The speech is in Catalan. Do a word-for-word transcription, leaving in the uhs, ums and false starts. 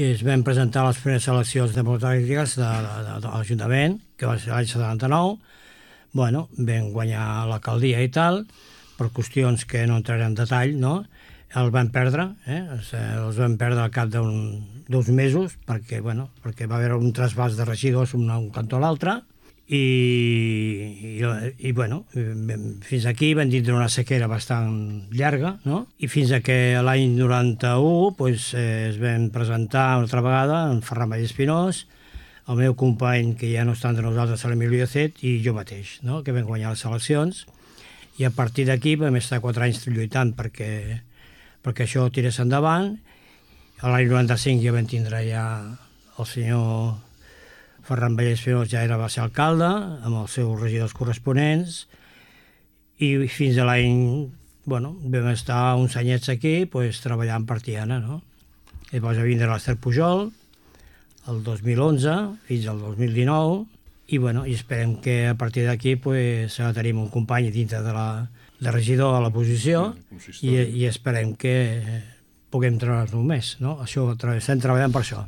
i es van presentar les primeres eleccions democràtiques de, de, de, de l'Ajuntament, que va ser l'any setanta-nou. Bueno, vam guanyar l'alcaldia i tal, per qüestions que no entraré en detall, no? Els van perdre, eh? Els van perdre al cap d'uns mesos, perquè, bueno, perquè va haver un trasbàs de regidors d'un un cantó a l'altre, i, i, i bueno, fins aquí van tindre una sequera bastant llarga, no? I fins a que l'any noranta-u pues, eh, es van presentar una altra vegada en Ferran Vallespinós, el meu company, que ja no està entre nosaltres, l'Emilio Iacet, i jo mateix, no? Que vam guanyar les eleccions, i a partir d'aquí vam estar quatre anys lluitant perquè, perquè això tirés endavant. L'any noranta-cinc ja vam tindre ja el senyor Ferran Vallespinós, ja era, va ser alcalde, amb els seus regidors corresponents, i fins a l'any, bueno, vam estar uns anyets aquí pues, treballant per Tiana, no? Llavors va vindre l'Ester Pujol, el dos mil onze fins al dos mil dinou, i, bueno, i esperem que a partir d'aquí pues, tenim un company dintre de, la, de regidor a la posició, i, i esperem que puguem treballar-nos més, no? Això, estem treballant per això.